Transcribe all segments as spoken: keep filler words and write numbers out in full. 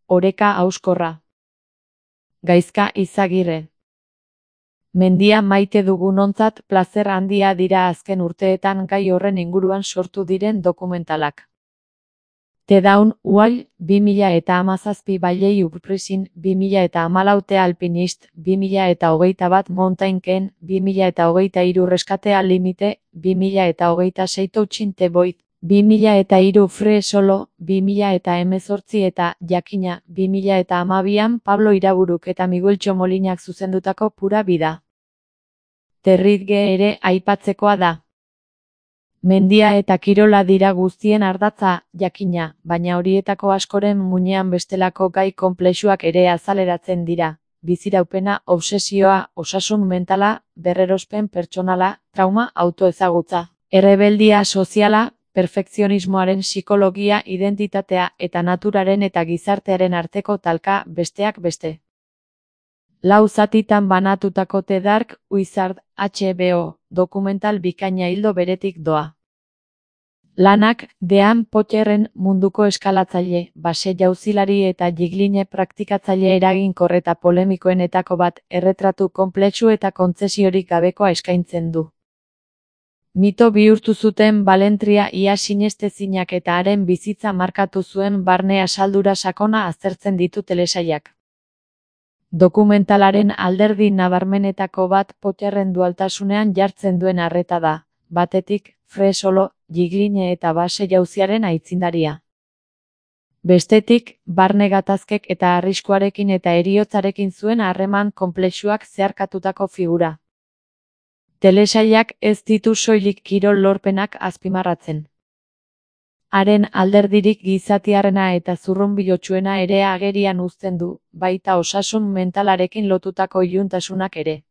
oreka hauskorra. Gaizka Izagirre. Mendia maite dugunontzat plazer handia dira azken urteetan gai horren inguruan sortu diren dokumentalak. The Dawn Wall, bi mila eta hamazazpi Valley Uprising, bi mila eta hamalau The Alpinist, bi mila eta hogeita bat Mountain Ken, bi mila eta hogeita hiru Reskatea Limite, bi mila eta hogeita sei Touching the Void, bi mila eta hiru Free Solo, bi mila eta hemezortzi eta Jakina, bi mila eta hamabian Pablo Iraburuk eta Miguel Txomolinak zuzendutako Pura Vida. Territge ere aipatzekoa da. Mendia eta kirola dira guztien ardatza, jakina, baina horietako askoren muinean bestelako gai konplexuak ere azaleratzen dira. Biziraupena, obsesioa, osasun mentala, berrerospen pertsonala, trauma, autoezagutza, errebeldia soziala, perfekzionismoaren psikologia, identitatea eta naturaren eta gizartearen arteko talka, besteak beste. Lau zatitan banatutako The Dark Wizard, H B O, dokumental bikaina ildo beretik doa. Lanak, Dean Potterren munduko eskalatzaile, base jauzilari eta jigline praktikatzaile eraginkor eta polemikoenetako bat, erretratu konplexu eta kontzesiorik gabekoa eskaintzen du. Mito bihurtu zuten balentria ia sinestezinak eta haren bizitza markatu zuen barne asaldura sakona aztertzen ditu telesailak. Dokumentalaren alderdi nabarmenetako bat Potterren dualtasunean jartzen duen arreta da, batetik, Free Solo, jigline eta base jauziaren aitzindaria. Bestetik, barne gatazkek eta arriskuarekin eta heriotzarekin zuen harreman konplexuak zeharkatutako figura. Telesailak ez ditu soilik kirol lorpenak azpimarratzen. Haren alderdirik gizatiarrena eta zurrunbilotsuena ere agerian uzten du, baita osasun mentalarekin lotutako iluntasunak ere.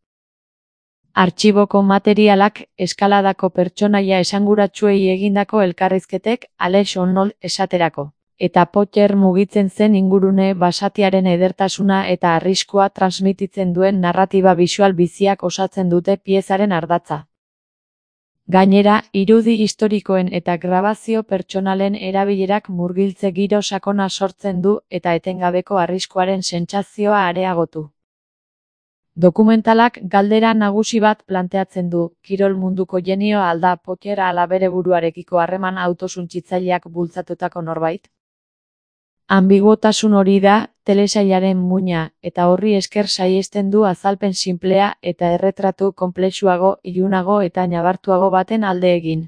Artxiboko materialak, eskaladako pertsonaia esanguratsuei egindako elkarrizketek, Alex Honnold esaterako, eta Potter mugitzen zen ingurune basatiaren edertasuna eta arriskua transmititzen duen narratiba bisual biziak osatzen dute piezaren ardatza. Gainera, irudi historikoen eta grabazio pertsonalen erabilerak murgiltze giro sakona sortzen du eta etengabeko arriskuaren sentsazioa areagotu. Dokumentalak galdera nagusi bat planteatzen du, kirol munduko jenio alda Potter ala bere buruarekiko harreman autosuntsitzaileak bultzatutako norbait? Ambiguotasun hori da, telesailaren muina, eta horri esker saihesten du azalpen sinplea eta erretratu konplexuago, ilunago eta nabartuago baten alde egin.